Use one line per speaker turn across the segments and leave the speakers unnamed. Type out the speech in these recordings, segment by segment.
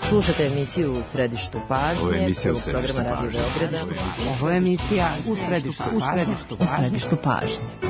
Slušate emisiju U središtu pažnje, prvog programa Radio Beograda.
Ovo je emisija U središtu pažnje.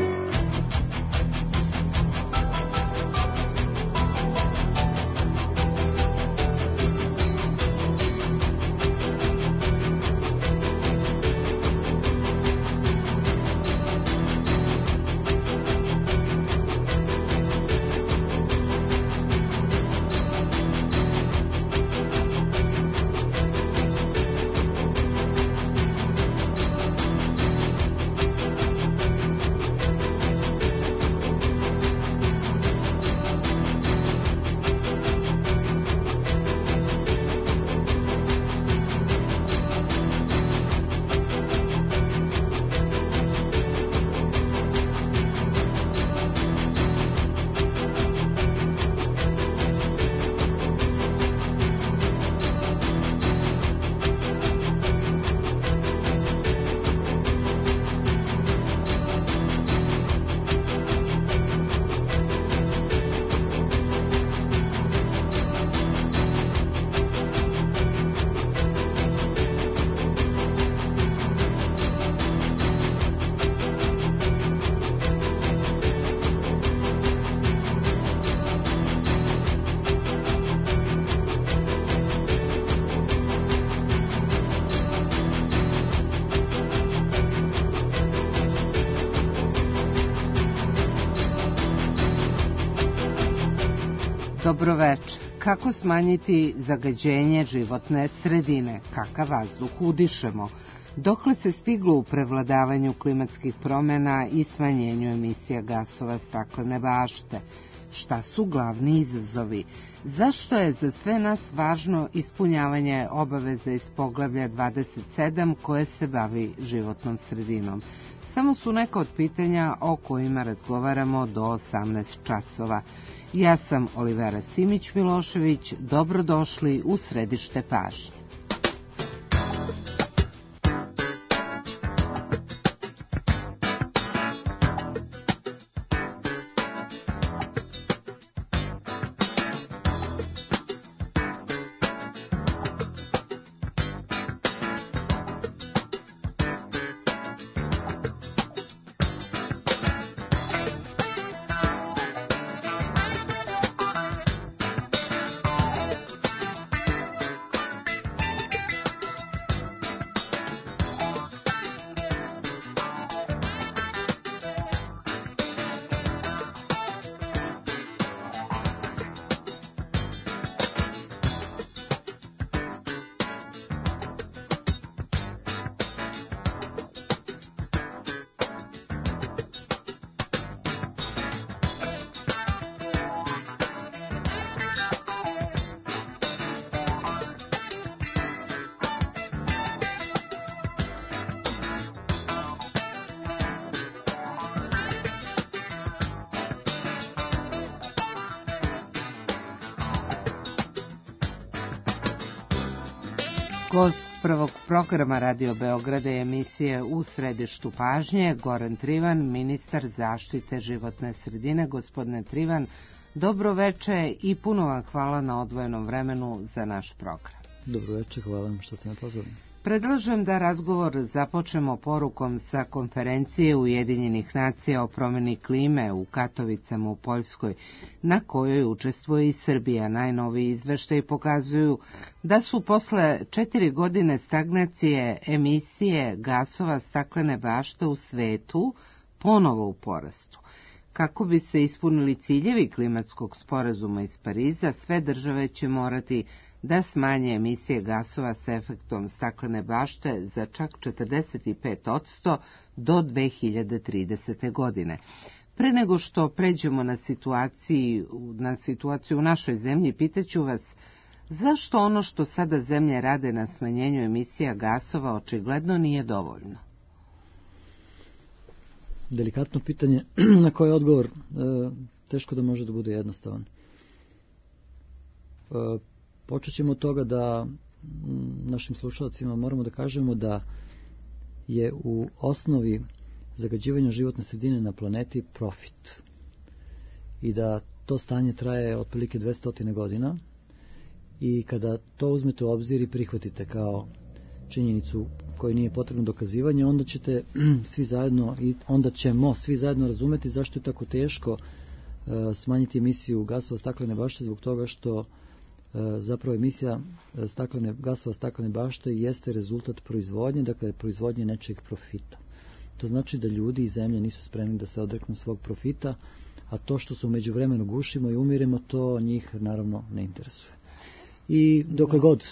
Dobro večer. Kako smanjiti zagađenje životne sredine? Kakav vazduh udišemo? Dokle se stiglo u prevladavanju klimatskih promjena i smanjenju emisija gasova staklene bašte? Šta su glavni izazovi? Zašto je za sve nas važno ispunjavanje obaveza iz poglavlja 27 koje se bavi životnom sredinom? Samo su neka od pitanja o kojima razgovaramo do 18 časova. Ja sam Olivera Simić-Milošević, dobrodošli u središte pažnje. Gost prvog programa Radio Beograda je emisije U središtu pažnje, Goran Trivan, ministar zaštite životne sredine. Gospodine Trivan, dobro veče i puno vam hvala na odvojenom vremenu za naš program.
Dobro veče, hvala vam što ste me pozvali.
Predlažem da razgovor započnemo porukom sa konferencije Ujedinjenih nacija o promjeni klime u Katovicama u Poljskoj, na kojoj učestvuje i Srbija. Najnoviji izveštaji pokazuju da su posle 4 godine stagnacije emisije gasova staklene bašte u svetu ponovo u porastu. Kako bi se ispunili ciljevi klimatskog sporazuma iz Pariza, sve države će morati da smanje emisije gasova sa efektom staklene bašte za čak 45% do 2030. godine. Pre nego što pređemo na situaciju u našoj zemlji, pitaću vas zašto ono što sada zemlje rade na smanjenju emisija gasova očigledno nije dovoljno?
Delikatno pitanje na koje odgovor teško da može da bude jednostavan. Počet ćemo od toga da našim slušalcima moramo da kažemo da je u osnovi zagađivanja životne sredine na planeti profit i da to stanje traje otprilike 200 godina i kada to uzmete u obzir i prihvatite kao činjenicu koju nije potrebno dokazivanje, onda ćete svi zajedno i onda ćemo svi zajedno razumeti zašto je tako teško smanjiti emisiju gasova staklene bašte, zbog toga što zapravo emisija gasova staklene bašte jeste rezultat proizvodnje, dakle proizvodnje nečeg profita. To znači da ljudi i zemlje nisu spremni da se odreknu svog profita, a to što se u međuvremenu gušimo i umiremo, to njih naravno ne interesuje. I dokle god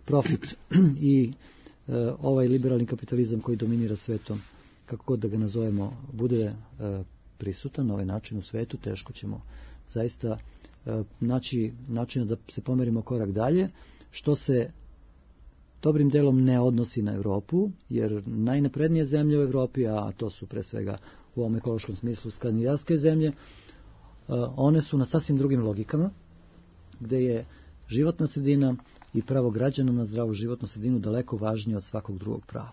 profit i ovaj liberalni kapitalizam koji dominira svetom, kako god da ga nazovemo, bude prisutan na ovaj način u svetu, teško ćemo zaista naći načina da se pomerimo korak dalje, što se dobrim delom ne odnosi na Europu, jer najnaprednije zemlje u Europi, a to su pre svega u ovom ekološkom smislu skandinavske zemlje, one su na sasvim drugim logikama, gde je životna sredina i pravo građana na zdravu životnu sredinu daleko važnije od svakog drugog prava.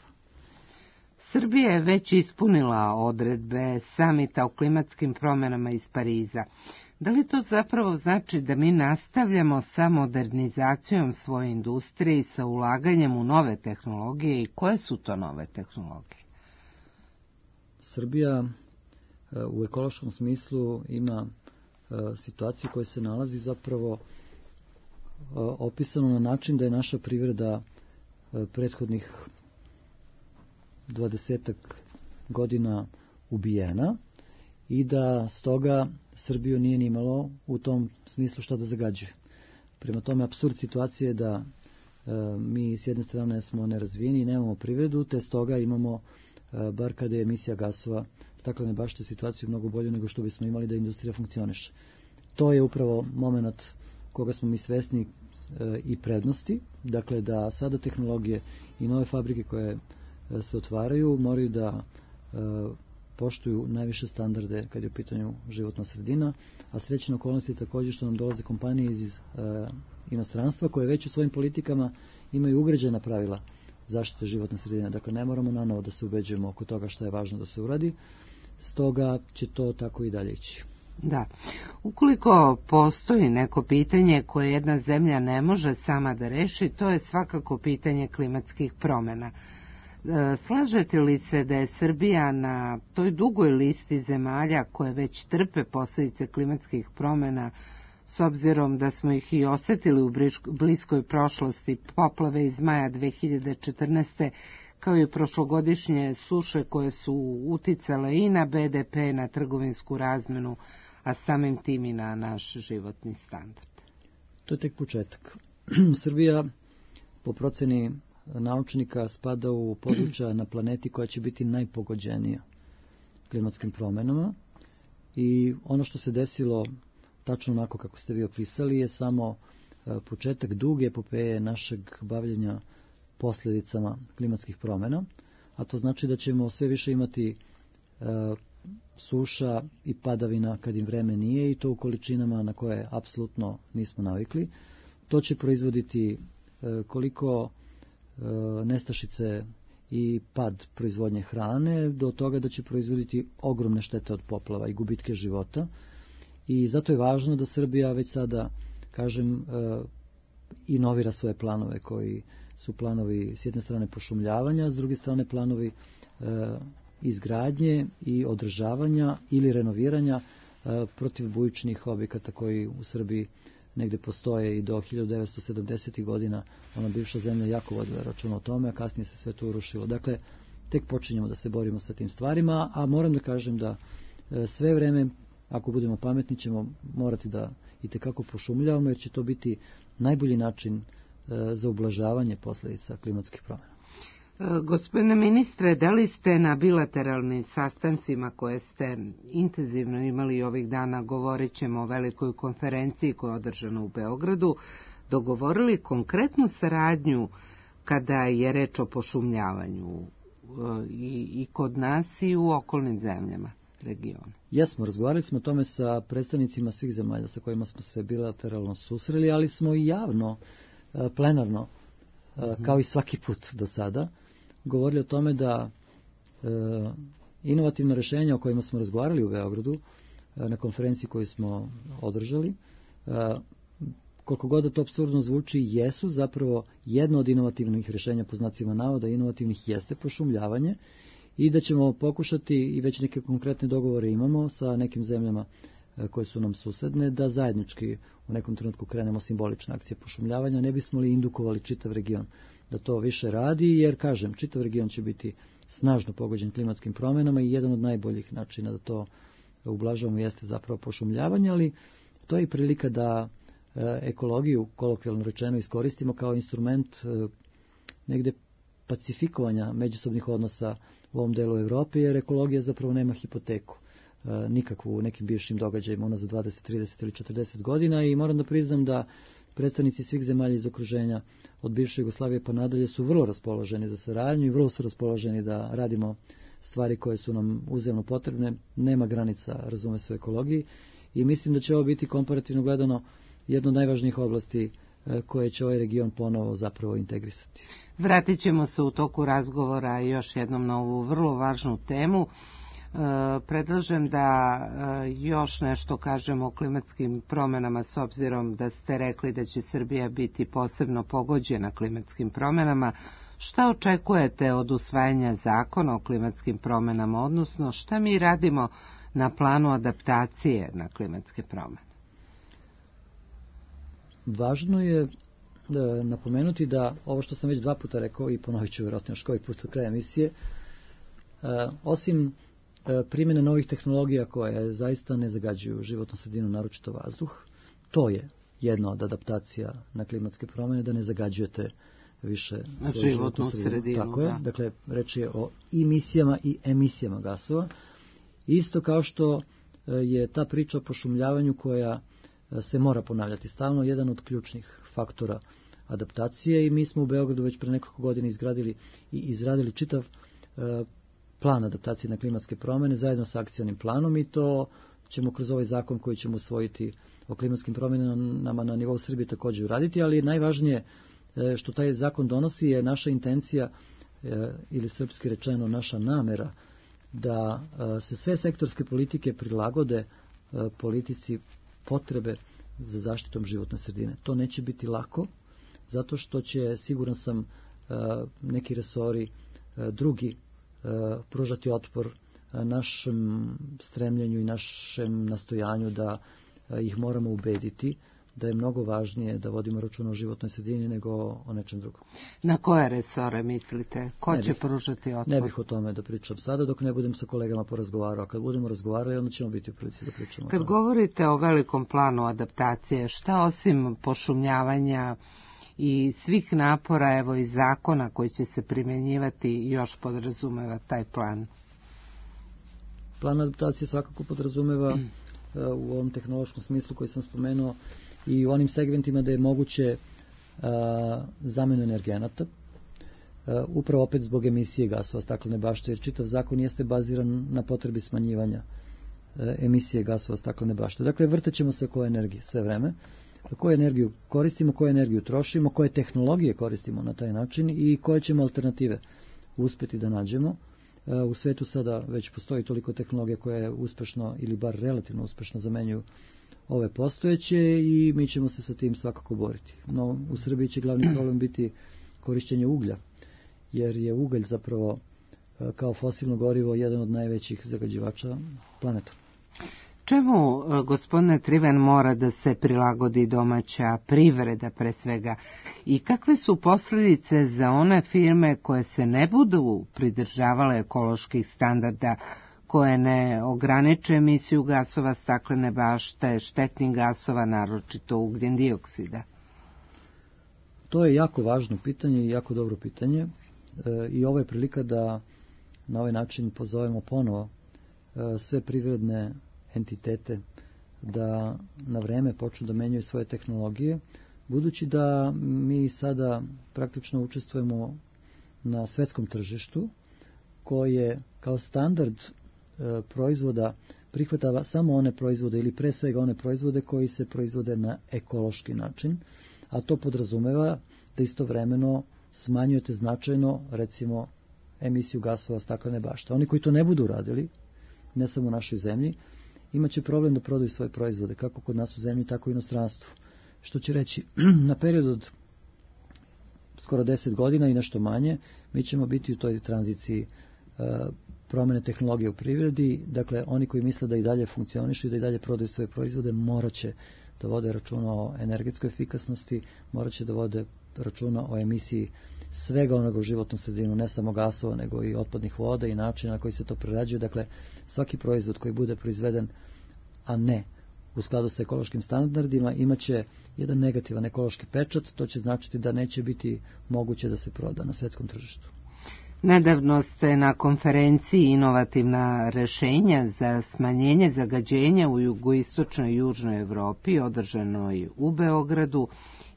Srbija je već ispunila odredbe samita o klimatskim promjenama iz Pariza. Da li to zapravo znači da mi nastavljamo sa modernizacijom svoje industrije i sa ulaganjem u nove tehnologije i koje su to nove tehnologije?
Srbija u ekološkom smislu ima situaciju koja se nalazi zapravo opisano na način da je naša privreda prethodnih 20 godina ubijena i da stoga Srbiju nije ni imalo u tom smislu šta da zagađuje. Prema tome, apsurd situacije je da mi s jedne strane smo nerazvijeni i nemamo privredu, te stoga imamo, bar kada je emisija gasova staklene bašte, situaciju mnogo bolju nego što bismo imali da industrija funkcioniše. To je upravo moment koga smo mi svesni i prednosti, dakle da sada tehnologije i nove fabrike koje se otvaraju moraju da poštuju najviše standarde kad je u pitanju životna sredina, a srećna okolnost je također što nam dolaze kompanije iz inostranstva koje već u svojim politikama imaju ugrađena pravila zaštite životne sredine. Dakle, ne moramo nanovo da se ubeđujemo oko toga šta je važno da se uradi, stoga će to tako i dalje ići.
Da. Ukoliko postoji neko pitanje koje jedna zemlja ne može sama da reši, to je svakako pitanje klimatskih promjena. Slažete li se da je Srbija na toj dugoj listi zemalja koje već trpe posljedice klimatskih promjena, s obzirom da smo ih i osjetili u bliskoj prošlosti, poplave iz maja 2014. kao i prošlogodišnje suše koje su uticale i na BDP, na trgovinsku razmenu, a samim tim i na naš životni standard?
To je tek početak. Srbija, po proceni naučnika, spada u područja na planeti koja će biti najpogođenija klimatskim promjenama i ono što se desilo tačno onako kako ste vi opisali je samo početak duge epopeje našeg bavljenja posljedicama klimatskih promjena, a to znači da ćemo sve više imati suša i padavina kad im vreme nije i to u količinama na koje apsolutno nismo navikli. To će proizvoditi koliko nestašice i pad proizvodnje hrane do toga da će proizvoditi ogromne štete od poplava i gubitke života. I zato je važno da Srbija već sada, kažem, inovira svoje planove koji su planovi s jedne strane pošumljavanja, s druge strane planovi izgradnje i održavanja ili renoviranja protivbujičnih objekata koji u Srbiji negde postoje i do 1970. godina ona bivša zemlja jako vodila računa o tome, a kasnije se sve to urušilo. Dakle, tek počinjemo da se borimo sa tim stvarima, a moram da kažem da sve vreme, ako budemo pametni, ćemo morati da itekako pošumljavamo, jer će to biti najbolji način za ublažavanje posljedica klimatskih promjena.
Gospodine ministre, da li ste na bilateralnim sastancima koje ste intenzivno imali ovih dana, govorit ćemo o velikoj konferenciji koja je održana u Beogradu, dogovorili konkretnu saradnju kada je reč o pošumljavanju i kod nas i u okolnim zemljama regiona?
Jesmo, razgovarali smo o tome sa predstavnicima svih zemalja sa kojima smo se bilateralno susreli, ali smo i javno, plenarno, kao i svaki put do sada, govorili o tome da inovativna rješenja o kojima smo razgovarali u Beogradu na konferenciji koju smo održali, koliko god da to apsurdno zvuči, jesu zapravo jedno od inovativnih rješenja, po znacima navoda, inovativnih jeste pošumljavanje, i da ćemo pokušati, i već neke konkretne dogovore imamo sa nekim zemljama koje su nam susedne, da zajednički u nekom trenutku krenemo simbolične akcije pošumljavanja, ne bismo li indukovali čitav region da to više radi, jer, kažem, čitav region će biti snažno pogođen klimatskim promjenama i jedan od najboljih načina da to ublažavamo jeste zapravo pošumljavanje, ali to je i prilika da ekologiju, kolokvijalno rečeno, iskoristimo kao instrument negde pacifikovanja međusobnih odnosa u ovom delu Evrope, jer ekologija zapravo nema hipoteku nikakvu u nekim bivšim događajima unazad 20, 30 ili 40 godina, i moram da priznam da predstavnici svih zemalja iz okruženja od bivše Jugoslavije pa nadalje su vrlo raspoloženi za saradnju i vrlo su raspoloženi da radimo stvari koje su nam uzemno potrebne. Nema granica, razume se, u ekologiji, i mislim da će ovo biti komparativno gledano jedna od najvažnijih oblasti koje će ovaj region ponovo zapravo integrisati.
Vratit ćemo se u toku razgovora još jednom na ovu vrlo važnu temu. Predlažem da još nešto kažemo o klimatskim promjenama, s obzirom da ste rekli da će Srbija biti posebno pogođena klimatskim promjenama. Šta očekujete od usvajanja zakona o klimatskim promjenama, odnosno šta mi radimo na planu adaptacije na klimatske promjene?
Važno je napomenuti da ovo što sam već 2 puta rekao, i ponovit ću vjerojatno još koji put do kraja emisije, osim primjene novih tehnologija koje zaista ne zagađuju životnu sredinu, naročito vazduh, to je jedna od adaptacija na klimatske promjene, da ne zagađujete više svoju životnu sredinu. Tako je, dakle, reč je o emisijama i emisijama gasova. Isto kao što je ta priča o pošumljavanju koja se mora ponavljati stalno, jedan od ključnih faktora adaptacije, i mi smo u Beogradu već pre nekoliko godina izradili čitav plan adaptacije na klimatske promjene zajedno sa akcionim planom, i to ćemo kroz ovaj zakon koji ćemo usvojiti o klimatskim promjenama na nivou Srbije također uraditi, ali najvažnije što taj zakon donosi je naša intencija, ili srpski rečeno naša namera, da se sve sektorske politike prilagode politici potrebe za zaštitom životne sredine. To neće biti lako, zato što će, siguran sam, neki resori drugi pružati otpor našem stremljenju i našem nastojanju da ih moramo ubediti da je mnogo važnije da vodimo računa o životnoj sredini nego o nečem drugom.
Na koje resore mislite? Ko će pružati otpor?
Ne bih o tome da pričam sada dok ne budem sa kolegama porazgovarao. Kad budemo razgovarali, onda ćemo biti u prilici da pričamo.
Kad govorite o velikom planu adaptacije, šta osim pošumljavanja i svih napora, evo i zakona koji će se primjenjivati, još podrazumeva taj plan?
Plan adaptacije svakako podrazumeva u ovom tehnološkom smislu koji sam spomenuo i u onim segmentima da je moguće zamenu energenata, upravo opet zbog emisije gasova staklene bašte, jer čitav zakon jeste baziran na potrebi smanjivanja emisije gasova staklene bašte. Dakle, vrtećemo se oko energije sve vreme, koju energiju koristimo, koju energiju trošimo, koje tehnologije koristimo na taj način i koje ćemo alternative uspjeti da nađemo. U svetu sada već postoji toliko tehnologija koje uspešno ili bar relativno uspešno zamenjuju ove postojeće i mi ćemo se sa tim svakako boriti. No, u Srbiji će glavni problem biti korišćenje uglja, jer je ugalj zapravo kao fosilno gorivo jedan od najvećih zagađivača planeta.
Čemu, gospodine Triven, mora da se prilagodi domaća privreda pre svega i kakve su posljedice za one firme koje se ne budu pridržavale ekoloških standarda, koje ne ograniče emisiju gasova staklene bašte, štetnih gasova, naročito ugljen dioksida?
To je jako važno pitanje i jako dobro pitanje i ovo je prilika da na ovaj način pozovemo ponovo sve privredne entitete da na vreme počnu da menjaju svoje tehnologije, budući da mi sada praktično učestvujemo na svetskom tržištu koje kao standard proizvoda prihvatava samo one proizvode ili pre svega one proizvode koji se proizvode na ekološki način, a to podrazumeva da istovremeno smanjujete značajno, recimo, emisiju gasova staklene bašte. Oni koji to ne budu uradili, ne samo u našoj zemlji, imaće problem da prodaju svoje proizvode, kako kod nas u zemlji, tako i u inostranstvu. što će reći na period od skoro 10 godina i nešto manje, mi ćemo biti u toj tranziciji promjene tehnologije u privredi. Dakle, oni koji misle da i dalje funkcionišu i da i dalje prodaju svoje proizvode, morat će da vode računa o energetskoj efikasnosti, morat će da vode računa o emisiji svega onoga u životnu sredinu, ne samo gasova, nego i otpadnih voda i načina na koji se to prerađuje. Dakle, svaki proizvod koji bude proizveden, a ne u skladu sa ekološkim standardima, imaće jedan negativan ekološki pečat, to će značiti da neće biti moguće da se proda na svetskom tržištu.
Nedavno ste na konferenciji Inovativna rešenja za smanjenje zagađenja u jugoistočnoj i južnoj Evropi, održanoj u Beogradu,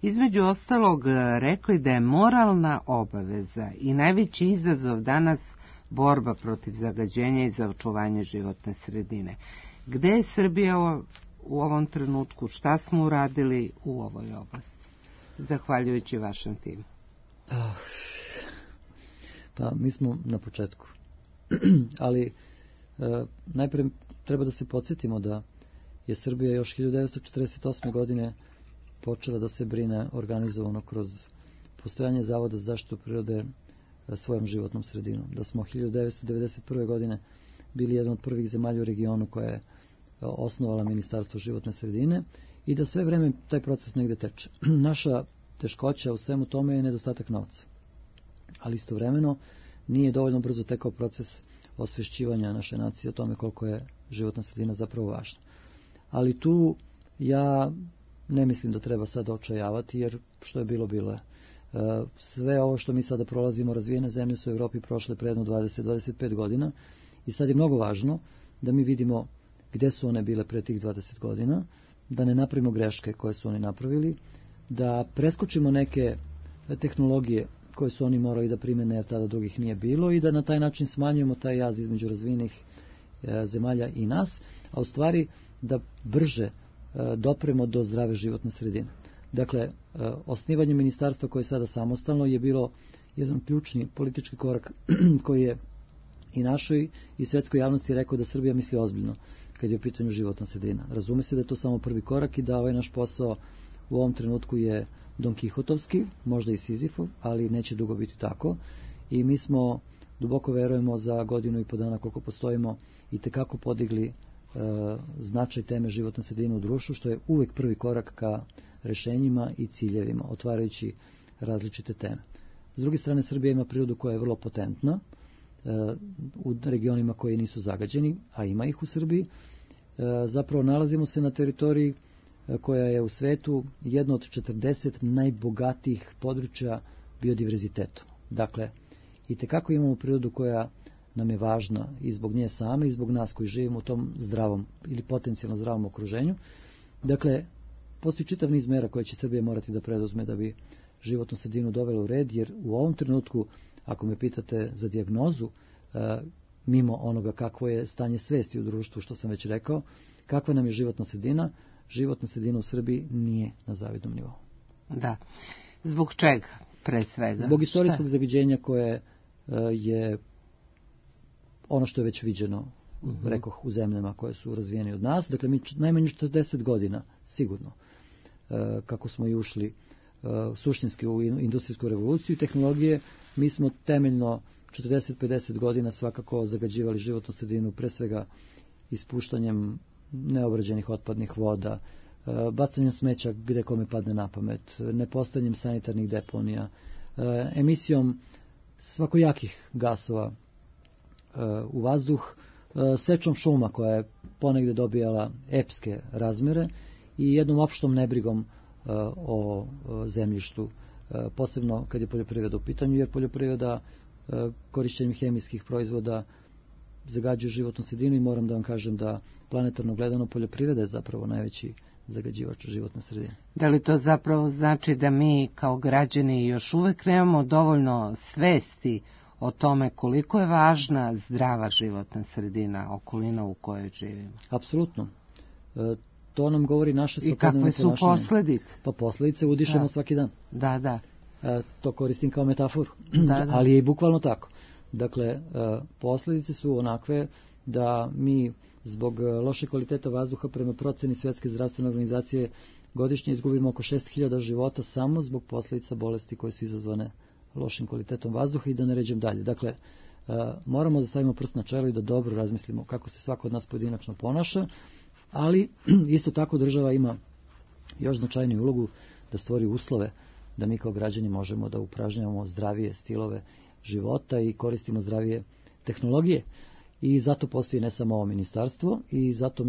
između ostalog rekli da je moralna obaveza i najveći izazov danas borba protiv zagađenja i za očuvanje životne sredine. Gde je Srbija u ovom trenutku? Šta smo uradili u ovoj oblasti, zahvaljujući vašem timu?
Pa mi smo na početku. Ali najprije treba da se podsjetimo da je Srbija još 1948. godine počela da se brine organizovano kroz postojanje Zavoda za zaštitu prirode svojom životnom sredinom. Da smo 1991. godine bili jedan od prvih zemalja u regionu koja je osnovala Ministarstvo životne sredine i da sve vreme taj proces negde teče. Naša teškoća u svemu tome je nedostatak novca. Ali istovremeno nije dovoljno brzo tekao proces osvešćivanja naše nacije o tome koliko je životna sredina zapravo važna. Ali tu ja ne mislim da treba sada očajavati, jer što je bilo, bilo je. Sve ovo što mi sada prolazimo, razvijene zemlje su u Evropi prošle pre jedno 20-25 godina i sad je mnogo važno da mi vidimo gde su one bile pre tih 20 godina, da ne napravimo greške koje su oni napravili, da preskočimo neke tehnologije koje su oni morali da primene jer tada drugih nije bilo i da na taj način smanjujemo taj jaz između razvijenih zemalja i nas, a u stvari da brže dopremo do zdrave životne sredine. Dakle, osnivanje ministarstva koje je sada samostalno je bilo jedan ključni politički korak koji je i našoj i svetskoj javnosti rekao da Srbija misli ozbiljno kad je u pitanju životna sredina. Razume se da je to samo prvi korak i da ovaj naš posao u ovom trenutku je Don Kihotovski, možda i Sizifov, ali neće dugo biti tako. I mi smo, duboko verujemo, za godinu i po dana koliko postojimo i tekako podigli značaj teme životne sredine u društvu, što je uvek prvi korak ka rešenjima i ciljevima, otvarajući različite teme. S druge strane, Srbija ima prirodu koja je vrlo potentna u regionima koji nisu zagađeni, a ima ih u Srbiji. Zapravo nalazimo se na teritoriji koja je u svetu jedno od 40 najbogatijih područja biodiverzitetom. Dakle, i tekako imamo prirodu koja nam je važna i zbog nje same i zbog nas koji živimo u tom zdravom ili potencijalno zdravom okruženju. Dakle, postoji čitav niz mera koje će Srbija morati da preduzme da bi životnu sredinu dovela u red, jer u ovom trenutku, ako me pitate za dijagnozu, mimo onoga kakvo je stanje svesti u društvu, što sam već rekao, kakva nam je životna sredina u Srbiji nije na zavidnom nivou.
Da. Zbog čega, pre svega?
Zbog istorijskog zagađenja koje je ono što je već viđeno, rekoh, u zemljama koje su razvijene od nas. Dakle, mi najmanje 40 godina, sigurno, kako smo i ušli suštinski u industrijsku revoluciju i tehnologije, mi smo temeljno 40-50 godina svakako zagađivali životnu sredinu, pre svega ispuštanjem neobrađenih otpadnih voda, bacanjem smeća gde kome padne na pamet, nepostojanjem sanitarnih deponija, emisijom svakojakih gasova u vazduh, sečom šuma koja je ponegde dobijala epske razmere i jednom opštom nebrigom o zemljištu, posebno kad je poljoprivreda u pitanju, jer poljoprivreda korišćenjem hemijskih proizvoda zagađuje životnu sredinu i moram da vam kažem da planetarno gledano poljoprivreda je zapravo najveći zagađivač životne sredine.
Da li to zapravo znači da mi kao građani još uvek nemamo dovoljno svesti o tome koliko je važna zdrava životna sredina, okolina u kojoj živimo?
Apsolutno. To nam govori naše
svakodnevno ponašanje. I kakve su posledice?
Pa posledice udišemo svaki dan.
Da.
To koristim kao metaforu,
da.
Ali je i bukvalno tako. Dakle, posledice su onakve da mi zbog loše kvaliteta vazduha prema proceni Svetske zdravstvene organizacije godišnje izgubimo oko 6.000 života samo zbog posljedica bolesti koje su izazvane lošim kvalitetom vazduha i da ne ređem dalje. Dakle, moramo da stavimo prst na čelo i da dobro razmislimo kako se svako od nas pojedinačno ponaša, ali isto tako država ima još značajniju ulogu da stvori uslove da mi kao građani možemo da upražnjavamo zdravije stilove života i koristimo zdravije tehnologije. I zato postoji ne samo ovo ministarstvo i zato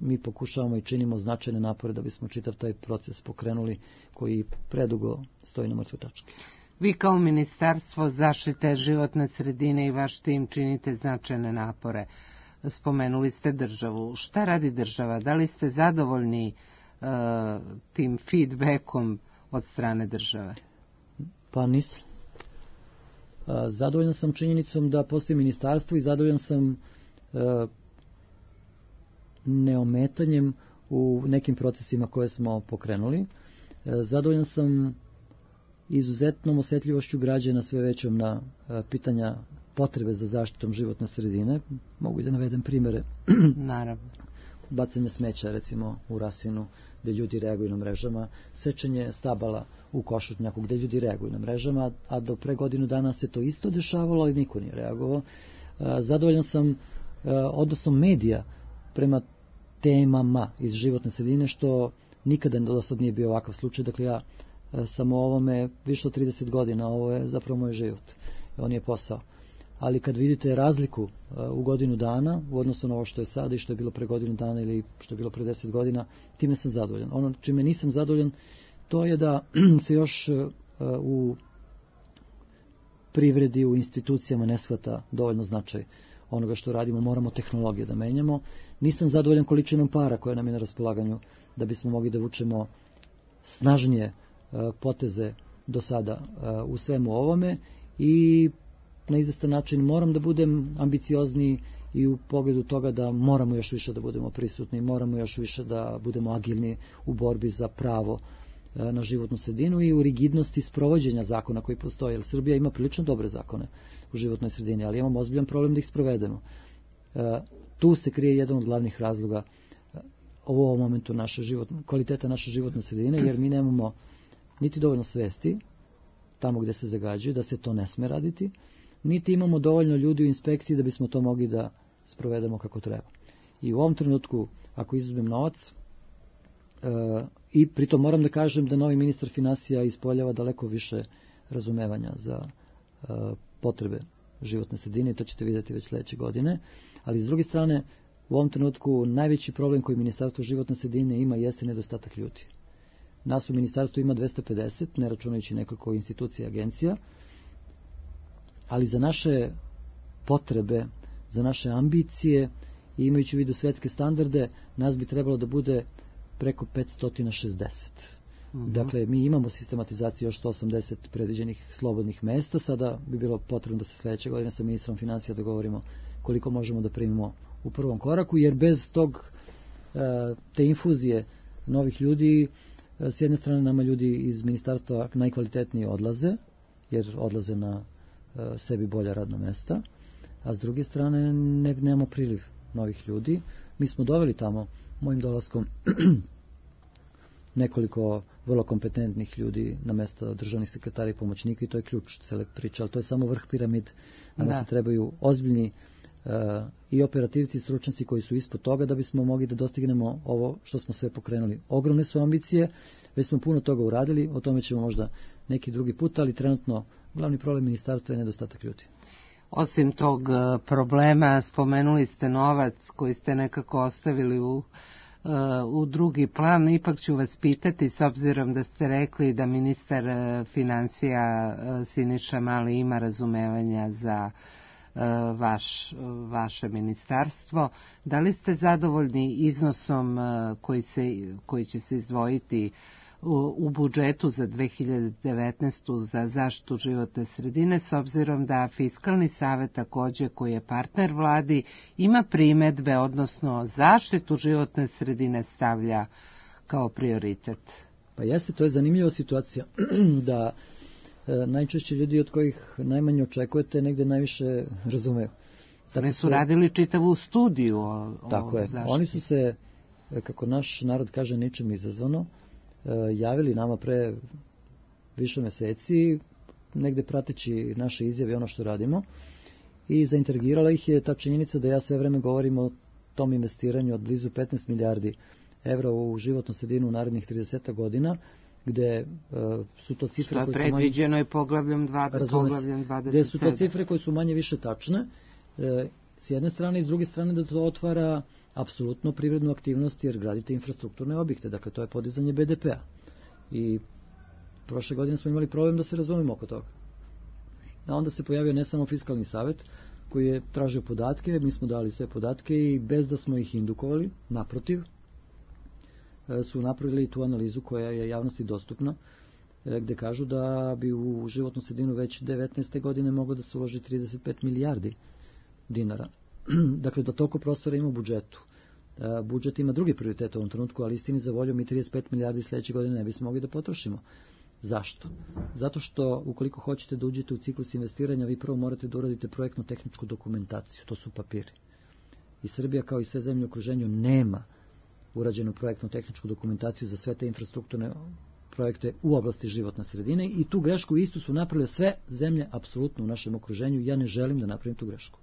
mi pokušavamo i činimo značajne napore da bismo čitav taj proces pokrenuli koji predugo stoji na mrtvoj tački.
Vi kao Ministarstvo zaštite životne sredine i vaš tim činite značajne napore. Spomenuli ste državu. Šta radi država? Da li ste zadovoljni tim feedbackom od strane države?
Pa nisam. Zadovoljan sam činjenicom da postoji ministarstvo i zadovoljan sam neometanjem u nekim procesima koje smo pokrenuli. Zadovoljan sam izuzetnom osjetljivošću građana sve većom na pitanja potrebe za zaštitom životne sredine. Mogu da navedem primere.
Naravno.
Bacanje smeća recimo u Rasinu gdje ljudi reaguju na mrežama, sečenje stabala u Košutnjaku gdje ljudi reaguju na mrežama, a do pre godinu dana se to isto dešavalo, ali niko nije reagovao. Zadovoljan sam odnosom medija prema temama iz životne sredine, što nikada do sad nije bio ovakav slučaj. Dakle, ja sam o ovome više od 30 godina, ovo je zapravo moj život, on je posao. Ali kad vidite razliku u godinu dana u odnosu na ovo što je sada i što je bilo pre godinu dana ili što je bilo pre 10 godina, time sam zadovoljan. Ono čime nisam zadovoljan, to je da se još u privredi, u institucijama ne shvata dovoljno značaj onoga što radimo. Moramo tehnologije da menjamo. Nisam zadovoljan količinom para koja nam je na raspolaganju da bismo mogli da vučemo snažnije poteze do sada u svemu ovome i na izvestan način moram da budem ambiciozniji i u pogledu toga da moramo još više da budemo prisutni, moramo još više da budemo agilni u borbi za pravo na životnu sredinu i u rigidnosti sprovođenja zakona koji postoje. Jer Srbija ima prilično dobre zakone u životnoj sredini, ali imamo ozbiljan problem da ih sprovedemo. Tu se krije jedan od glavnih razloga u ovom momentu kvaliteta naše životne sredine, jer mi nemamo niti dovoljno svesti tamo gdje se zagađuje, da se to ne sme raditi, niti imamo dovoljno ljudi u inspekciji da bismo to mogli da sprovedemo kako treba. I u ovom trenutku, ako izuzmem novac, i pritom moram da kažem da novi ministar finansija ispoljava daleko više razumevanja za potrebe životne sredine i to ćete vidjeti već sljedeće godine, ali s druge strane, u ovom trenutku najveći problem koji Ministarstvo životne sredine ima jeste nedostatak ljudi. Nas u ministarstvu ima 250, ne računajući nekoliko institucija i agencija, ali za naše potrebe, za naše ambicije i imajući u vidu svetske standarde, nas bi trebalo da bude preko 560. Dakle, mi imamo sistematizaciju još 180 predviđenih slobodnih mesta, sada bi bilo potrebno da se sljedeće godine sa ministrom financija dogovorimo koliko možemo da primimo u prvom koraku, jer bez te infuzije novih ljudi, s jedne strane nama ljudi iz ministarstva najkvalitetnije odlaze, jer odlaze na sebi bolja radna mesta, a s druge strane nemamo priliv novih ljudi. Mi smo doveli tamo mojim dolaskom nekoliko vrlo kompetentnih ljudi na mesta državnih sekretara i pomoćnika i to je ključ cele priče, ali to je samo vrh piramide. Nama se trebaju ozbiljni i operativci i stručnjaci koji su ispod toga da bismo mogli da dostignemo ovo što smo sve pokrenuli. Ogromne su ambicije, već smo puno toga uradili, o tome ćemo možda neki drugi put, ali trenutno glavni problem ministarstva je nedostatak ljudi.
Osim tog problema, spomenuli ste novac koji ste nekako ostavili u drugi plan. Ipak ću vas pitati, s obzirom da ste rekli da ministar financija Siniša Mali ima razumevanja za vaše ministarstvo. Da li ste zadovoljni iznosom koji će se izdvojiti u budžetu za 2019. za zaštitu životne sredine, s obzirom da Fiskalni savet također, koji je partner vladi, ima primedbe, odnosno zaštitu životne sredine stavlja kao prioritet?
Pa jeste, to je zanimljiva situacija da najčešće ljudi od kojih najmanje očekujete negdje najviše razumeju.
Oni su radili čitavu studiju o
tako je.
zaštiti.
Oni su se, kako naš narod kaže, ničem izazvano, javili nama pre više meseci, negde prateći naše izjave i ono što radimo, i zaintrigirala ih je ta činjenica da ja sve vreme govorim o tom investiranju od blizu 15 milijardi evra u životnu sredinu u narednih 30 godina, gde su to cifre
koje su predviđeno je poglavljem 27.
Gde su to cifre koje su manje više tačne, s jedne strane, i s druge strane da to otvara apsolutno privrednu aktivnost, jer gradite infrastrukturne objekte, dakle to je podizanje BDP-a. I prošle godine smo imali problem da se razumemo oko toga. A onda se pojavio ne samo Fiskalni savet koji je tražio podatke, mi smo dali sve podatke i bez da smo ih indukovali, naprotiv, su napravili tu analizu koja je javnosti dostupna, gde kažu da bi u životnu sredinu već 19. godine moglo da se uloži 35 milijardi dinara. Dakle, da toliko prostora ima u budžetu. Budžet ima drugi prioritet u ovom trenutku, ali istini za volju mi 35 milijardi sledeće godine ne bismo mogli da potrošimo. Zašto? Zato što ukoliko hoćete da uđete u ciklus investiranja, vi prvo morate da uradite projektno-tehničku dokumentaciju, to su papiri. I Srbija, kao i sve zemlje u okruženju, nema urađenu projektno-tehničku dokumentaciju za sve te infrastrukturne projekte u oblasti životne sredine i tu grešku istu su napravile sve zemlje apsolutno u našem okruženju. Ja ne želim da napravim tu grešku.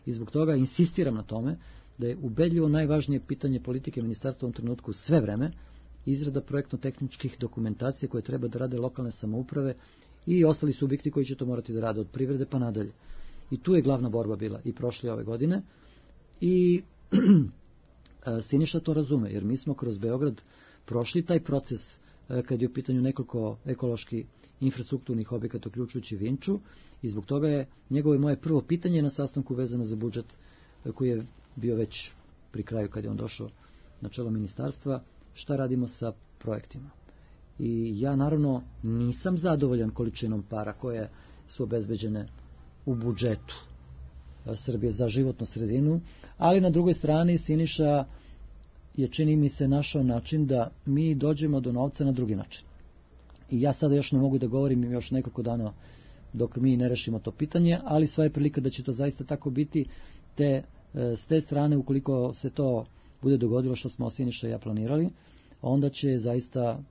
I zbog toga insistiram na tome da je ubedljivo najvažnije pitanje politike ministarstva u ovom trenutku sve vreme izrada projektno-tehničkih dokumentacija koje treba da rade lokalne samouprave i ostali subjekti koji će to morati da rade od privrede pa nadalje. I tu je glavna borba bila i prošle ove godine i Siniša to razume, jer mi smo kroz Beograd prošli taj proces kad je u pitanju nekoliko ekološki infrastrukturnih objekata uključujući Vinču i zbog toga je njegovo i moje prvo pitanje na sastanku vezano za budžet koji je bio već pri kraju kad je on došao na čelo ministarstva, šta radimo sa projektima. I ja naravno nisam zadovoljan količinom para koje su obezbeđene u budžetu Srbije za životnu sredinu, ali na drugoj strani Siniša je, čini mi se, našao način da mi dođemo do novca na drugi način. I ja sada još ne mogu da govorim još nekoliko dana dok mi ne rešimo to pitanje, ali sva je prilika da će to zaista tako biti, te s te strane, ukoliko se to bude dogodilo što smo Siniša i ja planirali, onda će zaista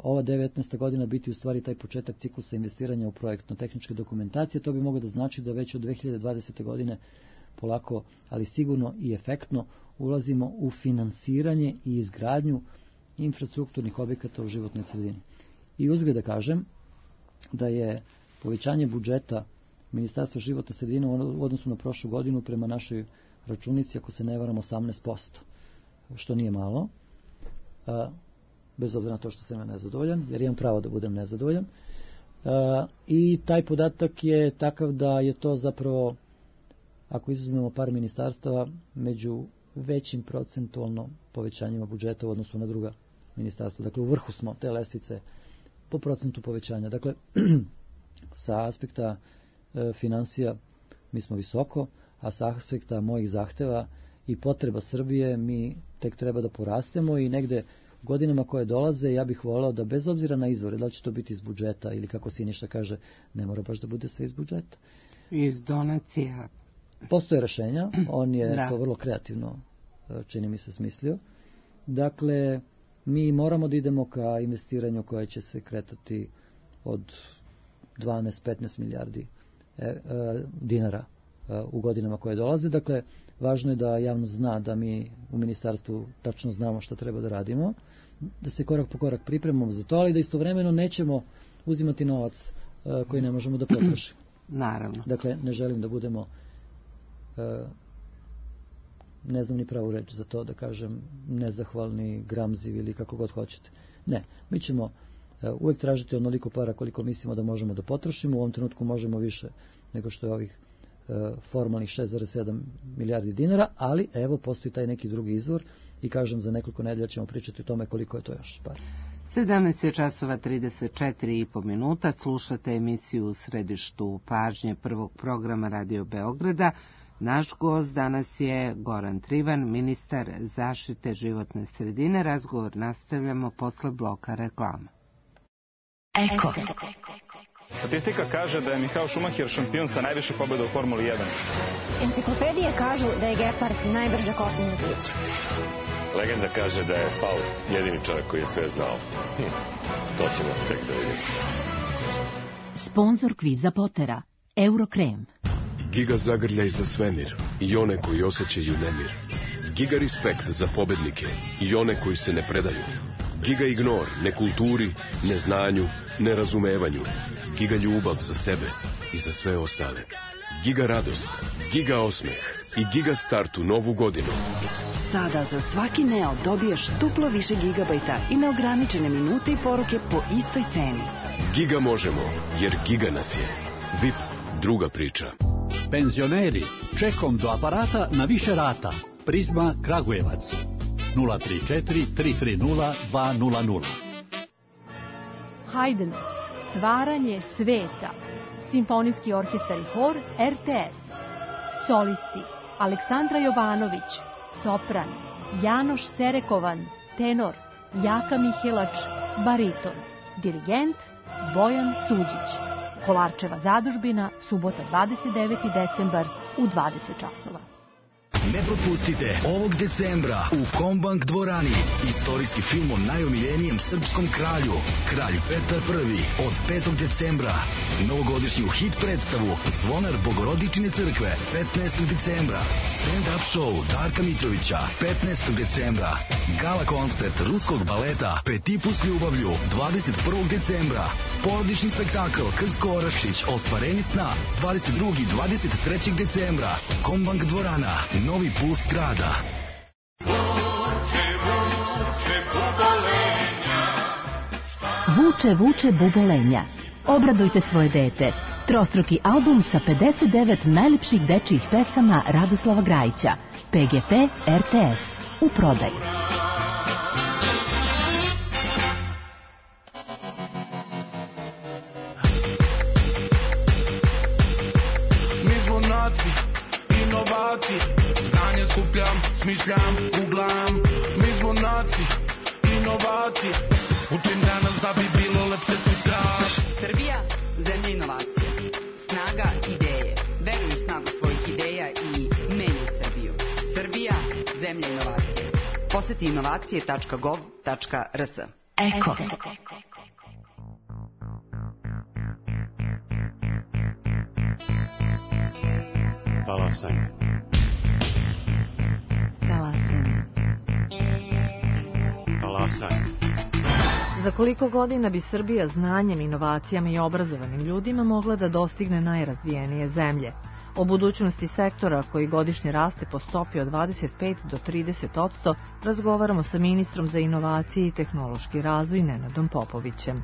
ova 19. godina biti u stvari taj početak ciklusa investiranja u projektno-tehničke dokumentacije. To bi moglo da znači da već od 2020. godine polako, ali sigurno i efektno ulazimo u finansiranje i izgradnju infrastrukturnih objekata u životnoj sredini. I uzgled da kažem da je povećanje budžeta Ministarstva životne sredine u odnosu na prošlu godinu prema našoj računici, ako se ne varam, 18%, što nije malo, bez obzira na to što sam ja nezadovoljan, jer imam pravo da budem nezadovoljan. I taj podatak je takav da je to zapravo, ako izuzmemo par ministarstava, među većim procentualno povećanjima budžeta u odnosu na druga ministarstva. Dakle, u vrhu smo te lestvice po procentu povećanja. Dakle, sa aspekta finansija mi smo visoko, a sa aspekta mojih zahteva i potreba Srbije mi tek treba da porastemo i negde u godinama koje dolaze ja bih volao da bez obzira na izvore, da li će to biti iz budžeta ili kako Siniša kaže, ne mora baš da bude sve iz budžeta.
Iz donacija.
Postoje rešenja, on je to vrlo kreativno, čini mi se, smislio. Dakle, mi moramo da idemo ka investiranju koje će se kretati od 12-15 milijardi dinara u godinama koje dolaze. Dakle, važno je da javnost zna da mi u ministarstvu tačno znamo šta treba da radimo, da se korak po korak pripremamo za to, ali da istovremeno nećemo uzimati novac koji ne možemo da potrošimo.
Naravno.
Dakle, ne želim da budemo, ne znam ni pravu reč za to, da kažem nezahvalni, gramzivi ili kako god hoćete. Ne, mi ćemo uvek tražiti onoliko para koliko mislimo da možemo da potrošimo. U ovom trenutku možemo više nego što je ovih formalnih 6,7 milijardi dinara, ali evo postoji taj neki drugi izvor i kažem za nekoliko nedelja ćemo pričati o tome koliko je to još par.
17:34 slušate emisiju u središtu pažnje prvog programa Radio Beograda. Naš gost danas je Goran Trivan, ministar zaštite životne sredine. Razgovor nastavljamo posle bloka reklama.
Eko. Statistika kaže da je Michael Schumacher šampion sa najviše pobjeda u Formuli 1.
Enciklopedije kažu da je gepard najbrže kopneno biće. Legenda kaže da je Faust jedini čovjek koji je sve znao. To ćemo tek da vidimo.
Sponzor kviza Potera, Eurokrem.
Giga zagrljaj za svemir i one koji osjećaju nemir. Giga respekt za pobednike i one koji se ne predaju. Giga ignor nekulturi, neznanju, nerazumevanju. Giga ljubav za sebe i za sve ostale. Giga radost, giga osmeh i giga start u novu godinu.
Sada za svaki Neo dobiješ duplo više gigabajta i neograničene minute i poruke po istoj ceni.
Giga možemo, jer giga nas je. VIP, druga priča.
Penzioneri, čekom do aparata na više rata. Prizma Kragujevac 034 330 200.
Haydn, stvaranje sveta. Simfonijski orkestar i hor RTS. Solisti Aleksandra Jovanović, sopran, Janoš Serekovan, tenor, Jaka Mihelač, bariton, dirigent Bojan Suđić. Kolarčeva zadužbina, subota 29. decembar u 20 časova.
Ne propustite ovog decembra u Kombank dvorani istorijski film o najomiljenijem srpskom kralju, kralj Petar I. Od 5. decembra. Novogodišnju hit predstavu Zvonar Bogorodičine crkve 15. decembra. Stand-up show Darka Mitrovića 15. decembra. Gala koncert ruskog baleta Petipu s ljubavlju 21. decembra. Porodični spektakl Krcko Orašić Ostvarenje sna 22. i 23. decembra. Kombank dvorana, novi puls grada.
Vuče, vuče bubolenja. Obradujte svoje dete. Trostruki album sa 59 najljepših dečijih pesama Radoslava Grajića. PGP RTS. U prodaju.
Inovacije, znanje skupljam, smišljam, googlam. Mi smo naci, inovacije. Učim danas da bi bilo lepše sutra.
Srbija, zemlja inovacije. Snaga ideje. Veruj u snagu svojih ideja i menjaj Srbiju. Srbija, zemlja inovacije. Poseti inovacije.gov.rs.
Eko.
Talasanje.
Za koliko godina bi Srbija znanjem, inovacijama i obrazovanim ljudima mogla da dostigne najrazvijenije zemlje? O budućnosti sektora koji godišnje raste po stopi od 25 do 30% razgovaramo sa ministrom za inovacije i tehnološki razvoj Nenadom Popovićem.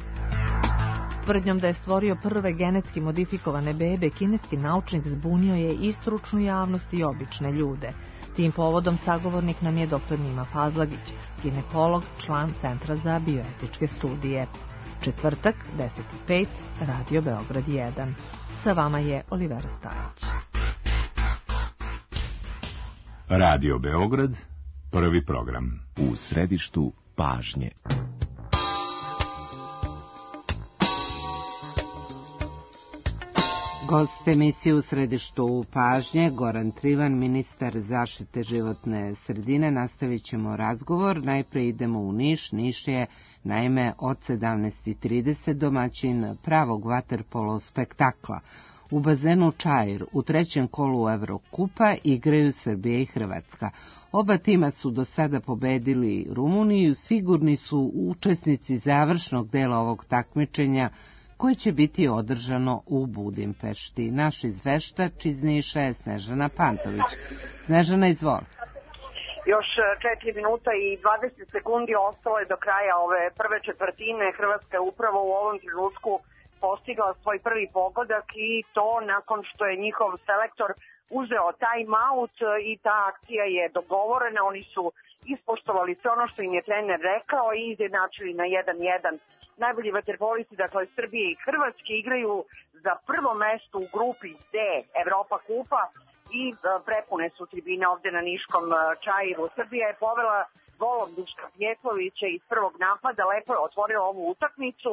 Tvrdnjom da je stvorio prve genetski modifikovane bebe, kineski naučnik zbunio je i stručnu javnost i obične ljude. Tim povodom sagovornik nam je dr. Nima Fazlagić, ginekolog, član Centra za bioetičke studije. Četvrtak, 10:05, Radio Beograd 1. Sa vama je Olivera Stajić.
Radio Beograd, prvi program. U središtu pažnje.
Gost emisije u središtu pažnje, Goran Trivan, ministar zaštite životne sredine. Nastavit ćemo razgovor. Najpre idemo u Niš. Niš je, naime, od 17:30 domaćin pravog vaterpolo spektakla. U bazenu Čair u trećem kolu Evrokupa igraju Srbija i Hrvatska. Oba tima su do sada pobedili Rumuniju, sigurni su učesnici završnog dela ovog takmičenja koje će biti održano u Budimpešti. Naš izveštač iz Niša je Snežana Pantović. Snežana, izvoli.
Još 4 minuta i 20 sekundi ostalo je do kraja ove prve četvrtine. Hrvatska je upravo u ovom trenutku postigla svoj prvi pogodak i to nakon što je njihov selektor uzeo time out i ta akcija je dogovorena. Oni su ispoštovali sve ono što im je trener rekao i izjednačili na 1:1. Najbolji vaterpolisti, dakle Srbije i Hrvatske, igraju za prvo mesto u grupi D Evropa kupa i prepune su tribine ovde na niškom Čairu. Srbija je povela golom Duška Pjetlovića iz prvog napada, lepo je otvorila ovu utakmicu,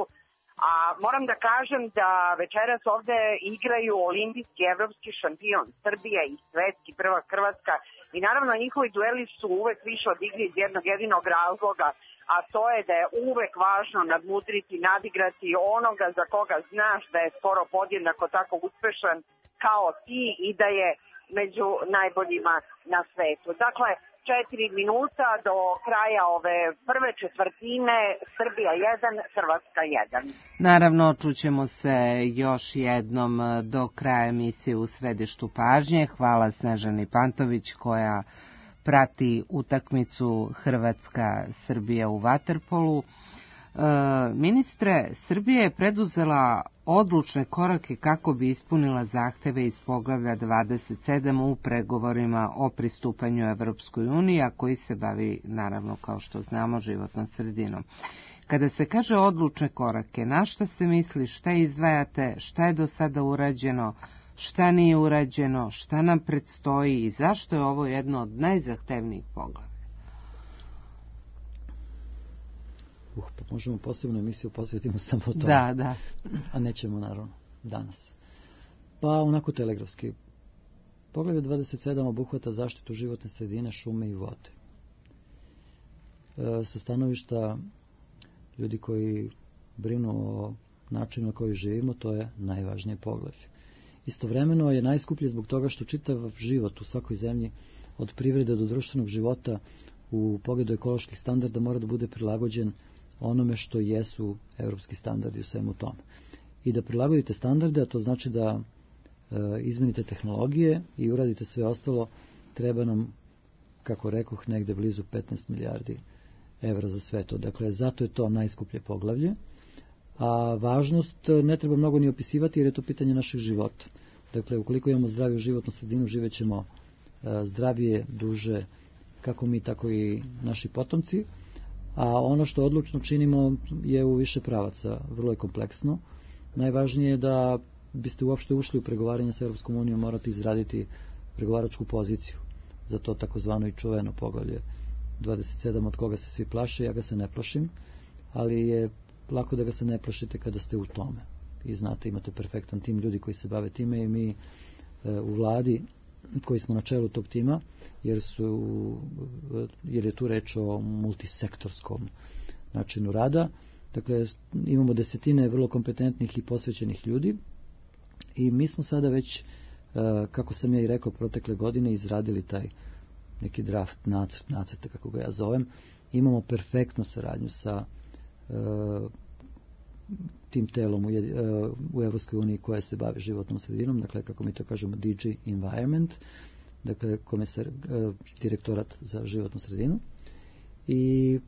A moram da kažem da večeras ovde igraju olimpijski, evropski šampion Srbija i svetski prvak Hrvatska i naravno njihovi dueli su uvek više od igre iz jednog jedinog razloga, a to je da je uvek važno nadmudriti, nadigrati onoga za koga znaš da je skoro podjednako tako uspešan kao ti i da je među najboljima na svetu. Dakle, 4 minuta do kraja ove prve četvrtine, Srbija 1, Hrvatska 1.
Naravno, čućemo se još jednom do kraja emisije U središtu pažnje. Hvala Snežani Pantović koja prati utakmicu Hrvatska-Srbija u vaterpolu. Ministre, Srbija je preduzela odlučne korake kako bi ispunila zahteve iz poglavlja 27 u pregovorima o pristupanju Evropskoj uniji, a koji se bavi, naravno, kao što znamo, životnom sredinom. Kada se kaže odlučne korake, na šta se misli, šta izdvajate, šta je do sada urađeno, šta nije urađeno, šta nam predstoji i zašto je ovo jedno od najzahtevnijih poglavlja?
Pa možemo posebnu emisiju posvetimo samo to.
Da.
A nećemo, naravno, danas. Pa onako telegrafski. Poglavlje 27 obuhvata zaštitu životne sredine, šume i vode. Sa stanovišta ljudi koji brinu o načinu na koji živimo, to je najvažnije poglavlje. Istovremeno je najskuplje zbog toga što čitav život u svakoj zemlji, od privrede do društvenog života, u pogledu ekoloških standarda mora da bude prilagođen onome što jesu evropski standardi u svemu tome. I da prilagodite standarde, a to znači da izmenite tehnologije i uradite sve ostalo, treba nam, kako rekoh, negde blizu 15 milijardi evra za sve to. Dakle, zato je to najskuplje poglavlje, a važnost ne treba mnogo ni opisivati jer je to pitanje našeg života. Dakle, ukoliko imamo zdraviju životnu sredinu, živećemo zdravije, duže, kako mi, tako i naši potomci, a ono što odlučno činimo je u više pravaca, vrlo je kompleksno. Najvažnije je da biste uopšte ušli u pregovaranje sa Europskom unijom, morate izraditi pregovaračku poziciju za to takozvano i čuveno poglavlje 27 od koga se svi plaše. Ja ga se ne plašim, ali je lako da ga se ne plašite kada ste u tome. I znate, imate perfektan tim ljudi koji se bave time i mi u vladi koji smo na čelu tog tima, jer je tu reč o multisektorskom načinu rada. Dakle, imamo desetine vrlo kompetentnih i posvećenih ljudi i mi smo sada već, kako sam ja i rekao, protekle godine izradili taj neki draft, nacrte, kako ga ja zovem. Imamo perfektnu saradnju sa tim telom u Evropskoj uniji koja se bavi životnom sredinom, dakle, kako mi to kažemo, DG Environment, dakle, direktorat za životnu sredinu. I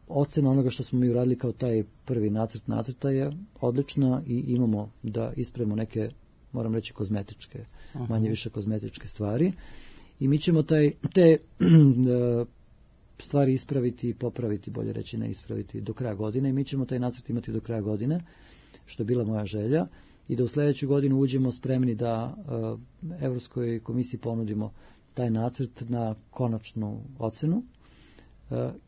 ocena onoga što smo mi uradili kao taj prvi nacrta je odlična i imamo da ispravimo neke, moram reći, kozmetičke, manje više kozmetičke stvari. I mi ćemo te stvari ispraviti i popraviti, bolje reći ne ispraviti, do kraja godine i mi ćemo taj nacrt imati do kraja godine, što je bila moja želja, i da u sljedeću godinu uđemo spremni da Evropskoj komisiji ponudimo taj nacrt na konačnu ocenu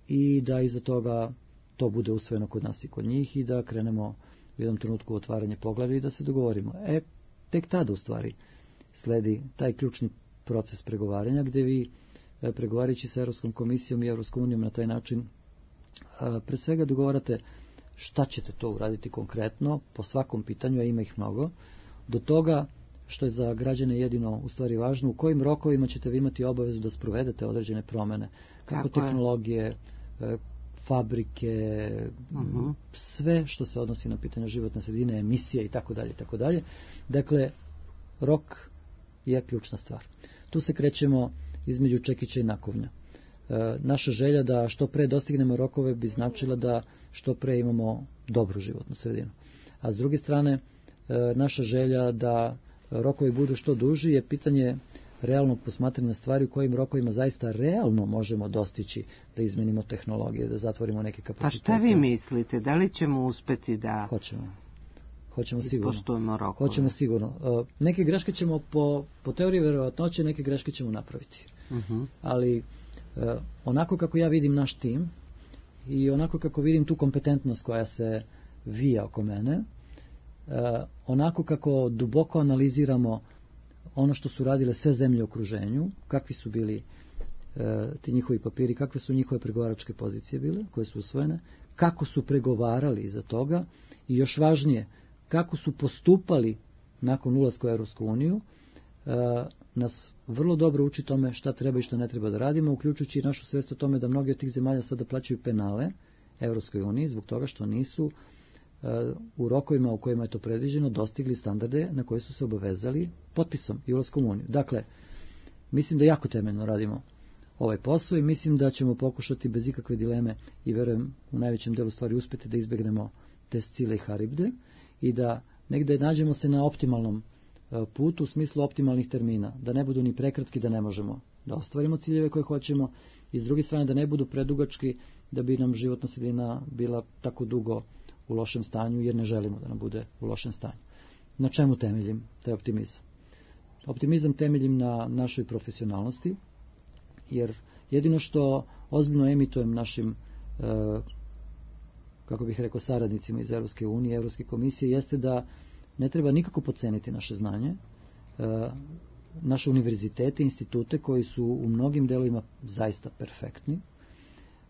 i da iza toga to bude usvojeno kod nas i kod njih i da krenemo u jednom trenutku u otvaranje poglavlja i da se dogovorimo. Tek tada u stvari sledi taj ključni proces pregovaranja gdje vi pregovarajući sa Europskom komisijom i Europskom unijom na taj način pre svega dogovarate šta ćete to uraditi konkretno po svakom pitanju, a ima ih mnogo, do toga što je za građane jedino u stvari važno, u kojim rokovima ćete vi imati obavezu da sprovedete određene promene, kako tehnologije, fabrike, sve što se odnosi na pitanje životne sredine, emisije i tako dalje. Dakle, rok je ključna stvar. Tu se krećemo između čekića i nakovnja. Naša želja da što pre dostignemo rokove bi značila da što pre imamo dobru životnu sredinu. A s druge strane, naša želja da rokovi budu što duži je pitanje realnog posmatranja stvari u kojim rokovima zaista realno možemo dostići da izmenimo tehnologije, da zatvorimo neke kapacitete.
Pa šta vi mislite? Da li ćemo uspeti da
Hoćemo sigurno.
Ispoštujemo rokove?
Hoćemo sigurno. Neke greške ćemo po teoriji verovatnoće, neke greške ćemo napraviti. Ali onako kako ja vidim naš tim i onako kako vidim tu kompetentnost koja se vija oko mene, onako kako duboko analiziramo ono što su radile sve zemlje u okruženju, kakvi su bili ti njihovi papiri, kakve su njihove pregovaračke pozicije bile, koje su usvojene, kako su pregovarali iza toga i još važnije, kako su postupali nakon ulaska u Europsku uniju, nas vrlo dobro uči tome šta treba i šta ne treba da radimo, uključujući i našu svest o tome da mnogi od tih zemalja sada plaćaju penale Europskoj uniji zbog toga što nisu u rokovima u kojima je to predviđeno dostigli standarde na koje su se obavezali potpisom i ulaskom u uniju. Dakle, mislim da jako temeljno radimo ovaj posao i mislim da ćemo pokušati bez ikakve dileme i verujem u najvećem delu stvari uspjeti da izbjegnemo te Scile i Haribde i da negde nađemo se na optimalnom putu u smislu optimalnih termina, da ne budu ni prekratki da ne možemo da ostvarimo ciljeve koje hoćemo i s druge strane da ne budu predugački da bi nam životna sredina bila tako dugo u lošem stanju jer ne želimo da nam bude u lošem stanju. Na čemu temeljim taj optimizam? Optimizam temeljim na našoj profesionalnosti, jer jedino što ozbiljno emitujem našim kako bih rekao saradnicima iz Europske unije, Europske komisije, jeste da ne treba nikako podceniti naše znanje, naše univerzitete, institute koji su u mnogim delovima zaista perfektni.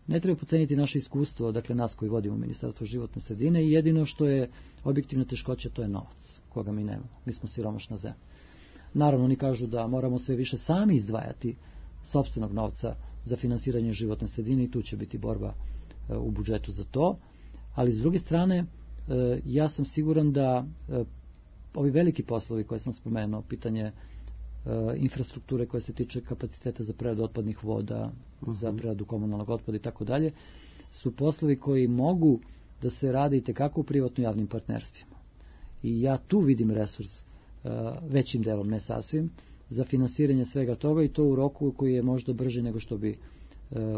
Ne treba podceniti naše iskustvo, dakle nas koji vodimo Ministarstvo životne sredine i jedino što je objektivna teškoća to je novac, koga mi nemamo. Mi smo siromašna zemlja. Naravno, oni kažu da moramo sve više sami izdvajati sopstvenog novca za finansiranje životne sredine i tu će biti borba u budžetu za to, ali s druge strane ja sam siguran da ovi veliki poslovi koje sam spomenuo, pitanje infrastrukture koja se tiče kapaciteta za preradu otpadnih voda, za preradu komunalnog otpada i tako dalje, su poslovi koji mogu da se rade i tekako u privatno-javnim partnerstvima. I ja tu vidim resurs većim delom, ne sasvim, za finansiranje svega toga i to u roku koji je možda brži nego što bi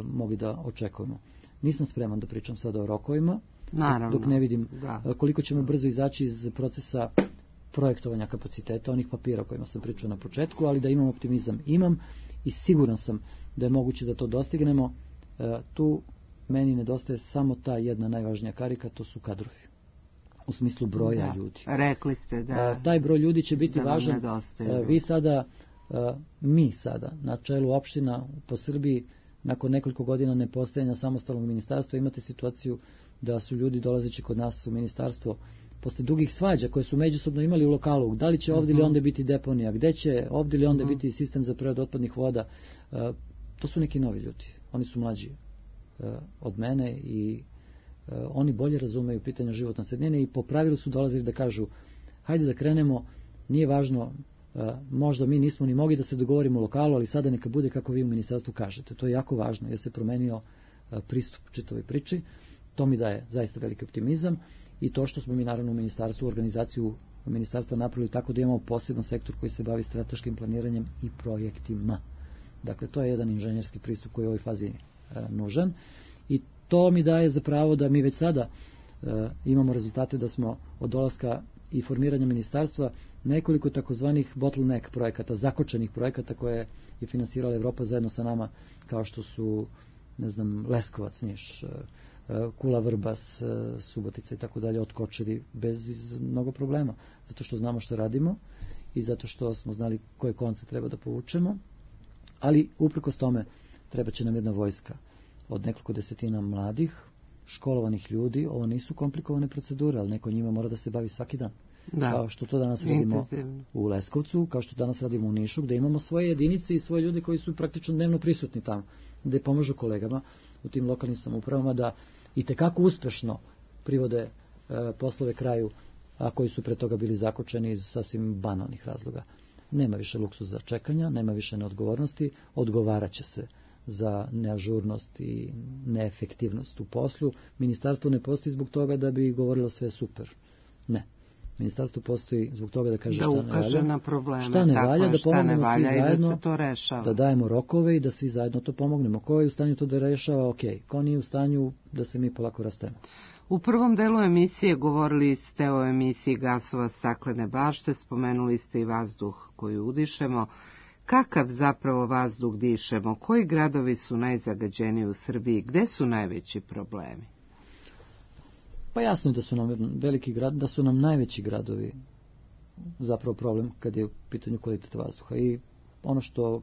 mogli da očekujemo. Nisam spreman da pričam sada o rokovima,
naravno,
dok ne vidim koliko ćemo brzo izaći iz procesa projektovanja kapaciteta, onih papira o kojima sam pričao na početku, ali da imam optimizam imam i siguran sam da je moguće da to dostignemo. Tu meni nedostaje samo ta jedna najvažnija karika, to su kadrovi. U smislu broja ljudi.
Rekli ste da
taj broj ljudi će biti važan. Mi sada na čelu opština po Srbiji nakon nekoliko godina nepostojanja samostalnog ministarstva imate situaciju da su ljudi dolazeći kod nas u ministarstvo posle dugih svađa koje su međusobno imali u lokalu, da li će ovdje ili onda biti deponija, gde će ovdje ili onda biti sistem za preradu otpadnih voda, to su neki novi ljudi. Oni su mlađi od mene i oni bolje razumeju pitanja životne sredine i po pravilu su dolazili da kažu hajde da krenemo, nije važno, možda mi nismo ni mogli da se dogovorimo u lokalu, ali sada neka bude kako vi u ministarstvu kažete. To je jako važno jer se promenio pristup čitavoj priči. To mi daje zaista veliki optimizam i to što smo mi naravno u ministarstvu, organizaciju ministarstva napravili tako da imamo poseban sektor koji se bavi strateškim planiranjem i projektima. Dakle, to je jedan inženjerski pristup koji je u ovoj fazi nužan i to mi daje za pravo da mi već sada imamo rezultate da smo od dolaska i formiranja ministarstva nekoliko takozvanih bottleneck projekata, zakočenih projekata koje je finansirala Evropa zajedno sa nama, kao što su, ne znam, Leskovac, Niš, Kula, Vrbas, Subotica i tako dalje, otkočili bez mnogo problema, zato što znamo što radimo i zato što smo znali koje konce treba da povučemo, ali uprkos tome treba će nam jedna vojska od nekoliko desetina mladih, školovanih ljudi. Ovo nisu komplikovane procedure, ali neko njima mora da se bavi svaki dan. Kao što to danas radimo u Leskovcu, kao što danas radimo u Nišu, gde imamo svoje jedinice i svoje ljude koji su praktično dnevno prisutni tamo, gde pomažu kolegama u tim lokalnim samoupravama da i tekako uspešno privode poslove kraju, a koji su pre toga bili zakočeni iz sasvim banalnih razloga. Nema više luksuza čekanja, nema više neodgovornosti, odgovaraće se za neažurnost i neefektivnost u poslu. Ministarstvo ne postoji zbog toga da bi govorilo sve super. Ne. Ministarstvo postoji zbog toga da kaže šta ne valja,
na probleme,
šta ne valja, da pomognemo svi zajedno,
da se to rešava.
Da dajemo rokove i da svi zajedno to pomognemo. Ko je u stanju to da rešava, ok. Ko nije u stanju, da se mi polako rastemo.
U prvom delu emisije govorili ste o emisiji gasova staklene bašte, spomenuli ste i vazduh koji udišemo. Kakav zapravo vazduh dišemo? Koji gradovi su najzagađeniji u Srbiji? Gde su najveći problemi?
Pa jasno je da su nam najveći gradovi zapravo problem kad je u pitanju kvaliteta vazduha. I ono što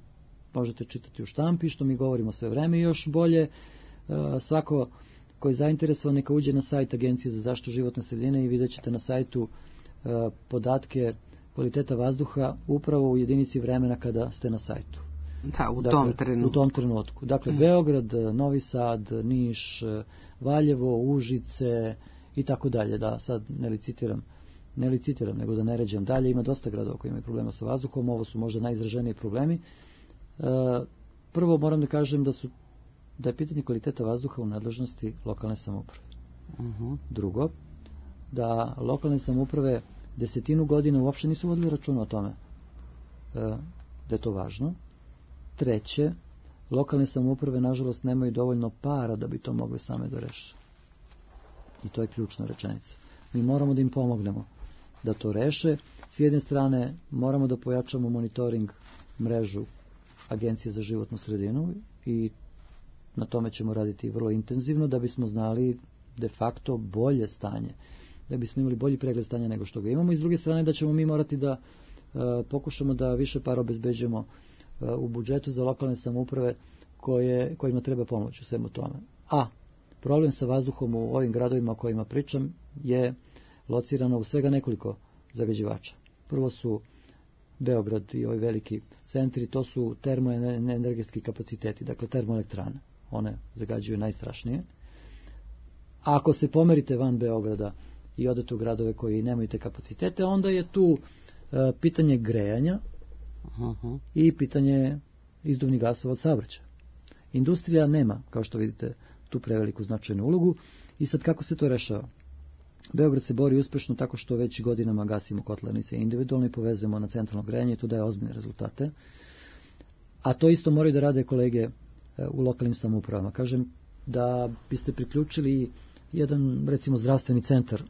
možete čitati u štampi, što mi govorimo sve vreme i još bolje, svako koji je zainteresovan neka uđe na sajt Agencije za zaštitu životne sredine i vidjet ćete na sajtu podatke kvaliteta vazduha upravo u jedinici vremena kada ste na sajtu.
Da, u tom trenutku.
Dakle, Beograd, Novi Sad, Niš, Valjevo, Užice i tako dalje. Da, sad ne licitiram, nego da ne ređam dalje. Ima dosta gradova koji imaju problema sa vazduhom. Ovo su možda najizraženiji problemi. Prvo moram da kažem da je pitanje kvaliteta vazduha u nadležnosti lokalne samouprave. Drugo, da lokalne samouprave 10 godina uopšte nisu vodili računa o tome da je to važno. Treće, lokalne samouprave nažalost nemaju dovoljno para da bi to mogli same da reše. I to je ključna rečenica. Mi moramo da im pomognemo da to reše. S jedne strane moramo da pojačamo monitoring mrežu Agencije za životnu sredinu i na tome ćemo raditi vrlo intenzivno da bismo znali de facto bolje stanje, da bismo imali bolji pregled stanja nego što ga imamo i s druge strane da ćemo mi morati da pokušamo da više para obezbeđujemo u budžetu za lokalne samouprave kojima treba pomoć u svemu tome. A problem sa vazduhom u ovim gradovima o kojima pričam je locirano u svega nekoliko zagađivača. Prvo su Beograd i ovi veliki centri, to su termoenergetski kapaciteti, dakle termoelektrane. One zagađuju najstrašnije. A ako se pomerite van Beograda i odete u gradove koji nemaju te kapacitete, onda je tu pitanje grejanja i pitanje izduvnih gasova od saobraćaja. Industrija nema, kao što vidite, tu preveliku značajnu ulogu. I sad kako se to rešava? Beograd se bori uspešno tako što već godinama gasimo kotlarnice individualno i povezujemo na centralno grejanje i to daje ozbiljne rezultate. A to isto moraju da rade kolege u lokalnim samoupravama. Kažem, da biste priključili jedan, recimo, zdravstveni centar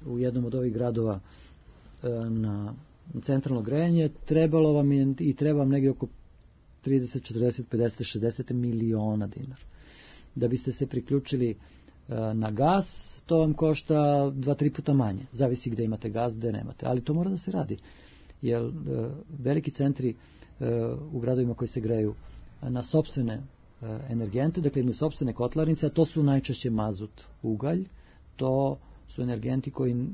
u jednom od ovih gradova na centralno grejanje, trebalo vam je i treba vam negdje oko 30, 40, 50, 60 miliona dinara. Da biste se priključili na gas, to vam košta 2-3 puta manje. Zavisi gde imate gas, gde nemate. Ali to mora da se radi. Jer veliki centri u gradovima koji se greju na sopstvene energente, dakle imaju sopstvene kotlarnice, a to su najčešće mazut, ugalj, to su energenti koji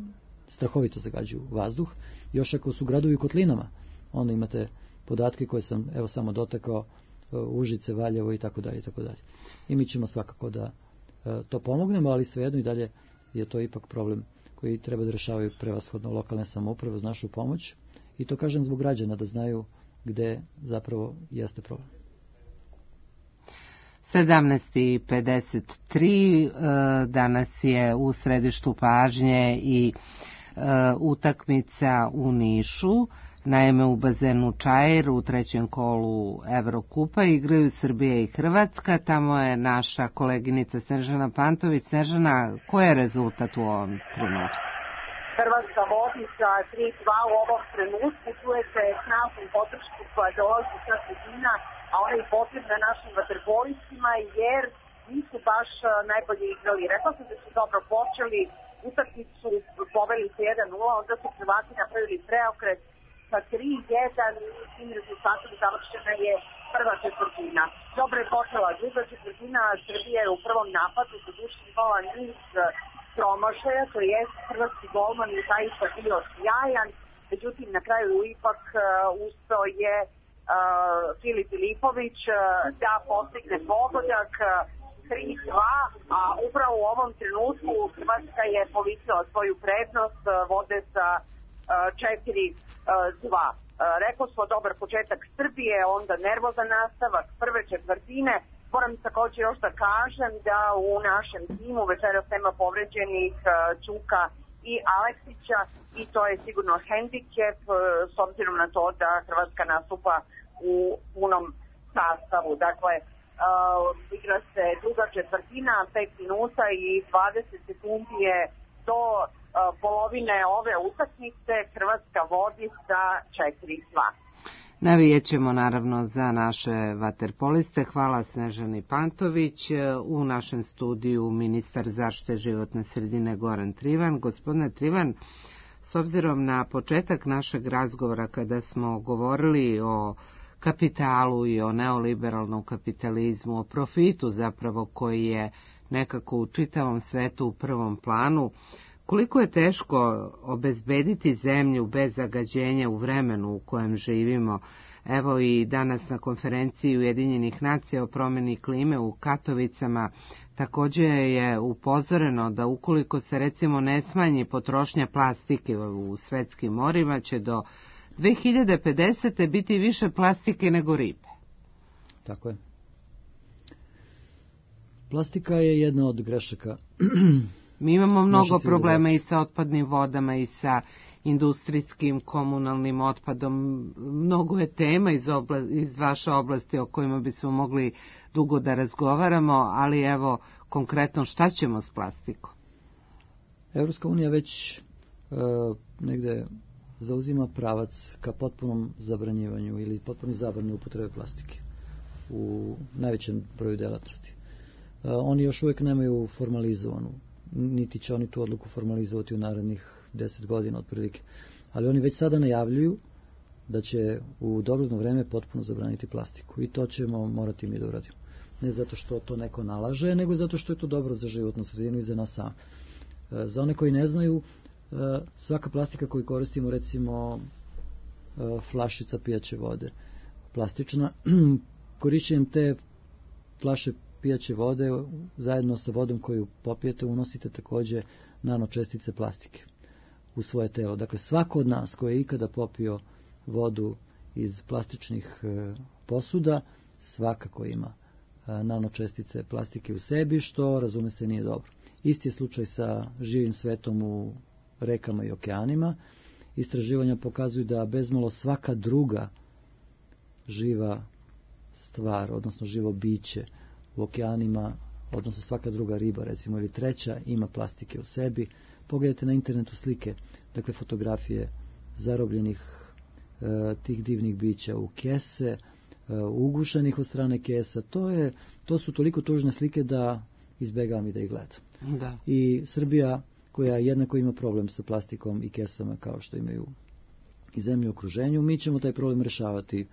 strahovito zagađuju vazduh. Još ako su gradovi u kotlinama, onda imate podatke koje sam evo samo dotakao, Užice, Valjevo i tako dalje i tako dalje. I mi ćemo svakako da to pomognemo, ali svejedno i dalje je to ipak problem koji treba da rešavaju prevashodno lokalne samouprave uz našu pomoć. I to kažem zbog građana, da znaju gde zapravo jeste problem.
17:53, danas je u središtu pažnje i utakmica u Nišu. Naime, u bazenu Čair u trećem kolu Evrokupa igraju Srbija i Hrvatska. Tamo je naša koleginica Snežana Pantović. Snežana, koji je rezultat u ovom trenutku?
Hrvatska vodi sa 3-2 u ovom trenutku. Čujete snažnu podršku koja dolazi sa tribina, a ona je potrebna našim vaterpolistima jer nisu baš najbolje igrali. Rekla sam da su dobro počeli, utakmicu poveli se 1-0, onda su Hrvati napravili preokret sa 3-1 i tim rezultatom završena je prva četvrtina. Dobro je počela druga četvrtina, Srbija je u prvom napadu doduše imala niz promašaja, to je hrvatski golman i zaista bio sjajan, međutim na kraju ipak uspeo je Filip Filipović da postigne pogodak 3-2, a upravo u ovom trenutku Hrvatska je povisila svoju prednost, vode sa 4-2. Rekao smo dobar početak Srbije, onda nervozan nastavak prve četvrtine. Moram također još da kažem da u našem timu večeras nema povređenih Čuka i Aleksića i to je sigurno hendikep s obzirom na to da Hrvatska nastupa u punom sastavu. Dakle, igra se druga četvrtina, 5 minuta i 20 sekundi je do polovine ove utakmice. Hrvatska vodi sa 4-2.
Navijet ćemo naravno za naše vaterpoliste. Hvala Snežani Pantović. U našem studiju ministar zaštite životne sredine Goran Trivan. Gospodine Trivan, s obzirom na početak našeg razgovora kada smo govorili o kapitalu i o neoliberalnom kapitalizmu, o profitu zapravo koji je nekako u čitavom svetu u prvom planu, koliko je teško obezbediti zemlju bez zagađenja u vremenu u kojem živimo. Evo i danas na konferenciji Ujedinjenih nacija o promjeni klime u Katovicama također je upozoreno da ukoliko se recimo ne smanji potrošnja plastike u svetskim morima, će do 2050. biti više plastike nego ribe.
Tako je. Plastika je jedna od grešaka.
Mi imamo mnogo problema i sa otpadnim vodama i sa industrijskim, komunalnim otpadom. Mnogo je tema iz vaše oblasti o kojima bismo mogli dugo da razgovaramo, ali evo konkretno šta ćemo s plastikom?
Evropska unija već negde zauzima pravac ka potpunom zabranjivanju ili potpunoj zabrani upotrebe plastike u najvećem broju delatnosti. Oni još uvijek nemaju formalizovanu, niti će oni tu odluku formalizovati u narednih 10 godina otprilike. Ali oni već sada najavljuju da će u dogledno vreme potpuno zabraniti plastiku i to ćemo morati mi da uradimo. Ne zato što to neko nalaže, nego zato što je to dobro za životnu sredinu i za nas sam. Za one koji ne znaju, svaka plastika koju koristimo, recimo flašica pijaće vode, plastična, korišćenjem te flaše pijaće vode zajedno sa vodom koju popijete unosite također nanočestice plastike u svoje telo. Dakle, svako od nas koji je ikada popio vodu iz plastičnih posuda svakako ima nanočestice plastike u sebi, što razume se nije dobro. Isti je slučaj sa živim svetom u rekama i okeanima. Istraživanja pokazuju da bezmalo svaka druga živa stvar, odnosno živo biće u okeanima, odnosno svaka druga riba, recimo, ili treća, ima plastike u sebi. Pogledajte na internetu slike, dakle fotografije zarobljenih tih divnih bića u kese, ugušenih od strane kesa. To su toliko tužne slike da izbegavam i da ih gledam.
Da.
I Srbija, koja jednako ima problem sa plastikom i kesama kao što imaju i zemlje u okruženju, mi ćemo taj problem rešavati.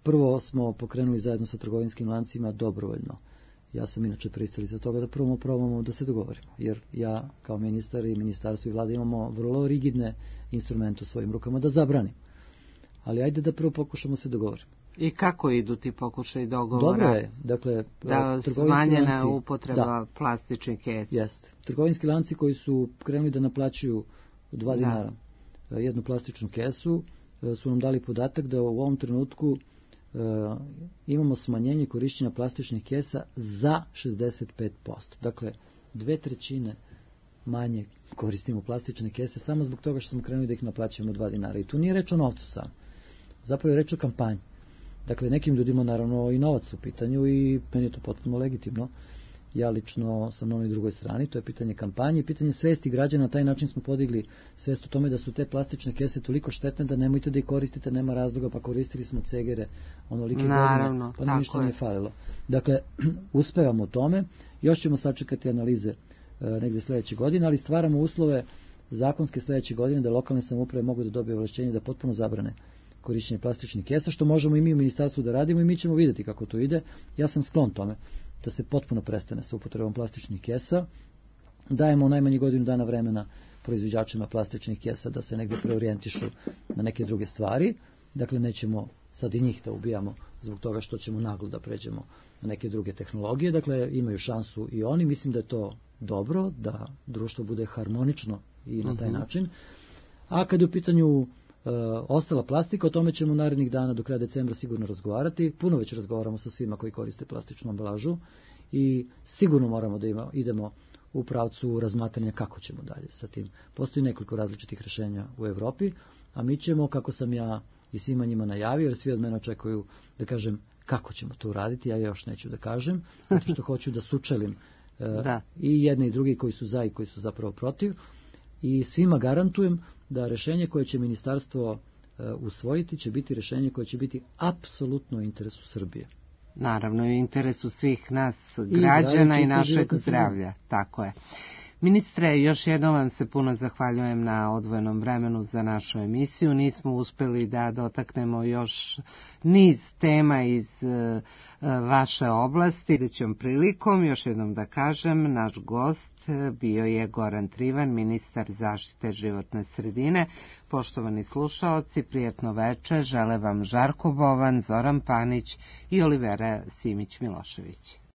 Prvo smo pokrenuli zajedno sa trgovinskim lancima dobrovoljno. Ja sam inače pristalica toga da prvo probamo da se dogovorimo, jer ja kao ministar i ministarstvo i vlada imamo vrlo rigidne instrumente u svojim rukama da zabranim. Ali ajde da prvo pokušamo se dogovorimo.
I kako idu ti pokušaj dogovora?
Dobro je, dakle,
da smanjena upotreba plastičnih kesa.
Jest. Trgovinski lanci koji su krenuli da naplaćuju 2 dinara jednu plastičnu kesu, su nam dali podatak da u ovom trenutku imamo smanjenje korišćenja plastičnih kesa za 65%. Dakle, 2/3 manje koristimo plastične kese samo zbog toga što smo krenuli da ih naplaćujemo 2 dinara. I tu nije reč o novcu sam. Zapravo je reč o kampanji. Dakle, nekim ljudima naravno i novac u pitanju i meni je to potpuno legitimno. Ja lično sam na onoj drugoj strani, to je pitanje kampanje, pitanje svesti građana. Na taj način smo podigli svest o tome da su te plastične kese toliko štetne da nemojte da ih koristite, nema razloga, pa koristili smo cegere onolike godine, pa nam ništa nije falilo. Dakle, uspevamo u tome, još ćemo sačekati analize negdje sljedeće godine, ali stvaramo uslove zakonske sljedeće godine da lokalne samouprave mogu da dobiju ovlašćenje da potpuno zabrane korišćenje plastičnih kesa, što možemo i mi u ministarstvu da radimo i mi ćemo vidjeti kako to ide. Ja sam sklon tome da se potpuno prestane sa upotrebom plastičnih kesa. Dajemo u najmanje godinu dana vremena proizvođačima plastičnih kesa da se negdje preorijentišu na neke druge stvari. Dakle, nećemo sad i njih da ubijamo zbog toga što ćemo naglo da pređemo na neke druge tehnologije. Dakle, imaju šansu i oni. Mislim da je to dobro, da društvo bude harmonično i na taj način. A kad je u pitanju ostala plastika, o tome ćemo narednih dana do kraja decembra sigurno razgovarati. Puno već razgovaramo sa svima koji koriste plastičnu ambalažu i sigurno moramo da idemo u pravcu razmatranja kako ćemo dalje sa tim. Postoji nekoliko različitih rješenja u Evropi, a mi ćemo, kako sam ja i svima njima najavio, jer svi od mene očekuju da kažem kako ćemo to uraditi, ja još neću da kažem, zato što hoću da sučelim i jedne i druge koji su za i koji su zapravo protiv, i svima garantujem da rješenje koje će ministarstvo usvojiti će biti rješenje koje će biti apsolutno u interesu Srbije.
Naravno, u interesu svih nas građana i našeg zdravlja. Tako je. Ministre, još jednom vam se puno zahvaljujem na odvojenom vremenu za našu emisiju. Nismo uspjeli da dotaknemo još niz tema iz vaše oblasti. Sljedećom prilikom, još jednom da kažem, naš gost bio je Goran Trivan, ministar zaštite životne sredine. Poštovani slušaoci, prijatno večer, žele vam Žarko Bovan, Zoran Panić i Olivera Simić-Milošević.